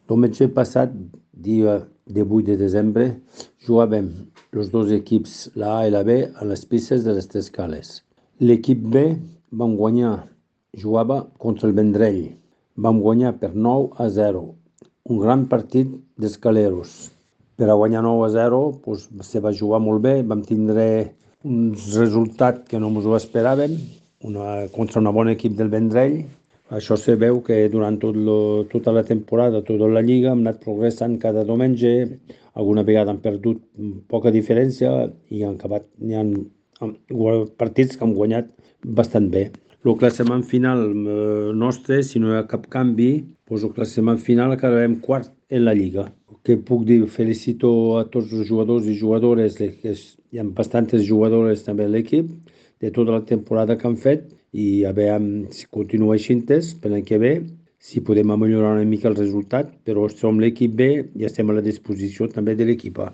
Diumenge passat, dia 18 de desembre, jugàvem els dos equips, la A i la B, a les pistes de les Tres Cales. L'equip B vam guanyar, jugava contra el Vendrell. Vam guanyar per 9-0. Un gran partit d'escaleros. Per a guanyar 9-0 se va jugar molt bé, vam tindre un resultat que no ens ho esperàvem, contra un bon equip del Vendrell. Això se veu que durant tota la temporada, tota la lliga, hem anat progressant cada diumenge. Alguna vegada han perdut poca diferència i han acabat, partits que han guanyat bastant bé. El classement final nostre, si no hi ha cap canvi, el classement final acabarem quart en la lliga. Que puc dir, felicito a tots els jugadors i jugadores, que hi ha bastantes jugadores també a l'equip, de tota la temporada que han fet, i a veure si continua així per l'any que ve, si podem millorar una mica el resultat, però som l'equip B i estem a la disposició també de l'equip A.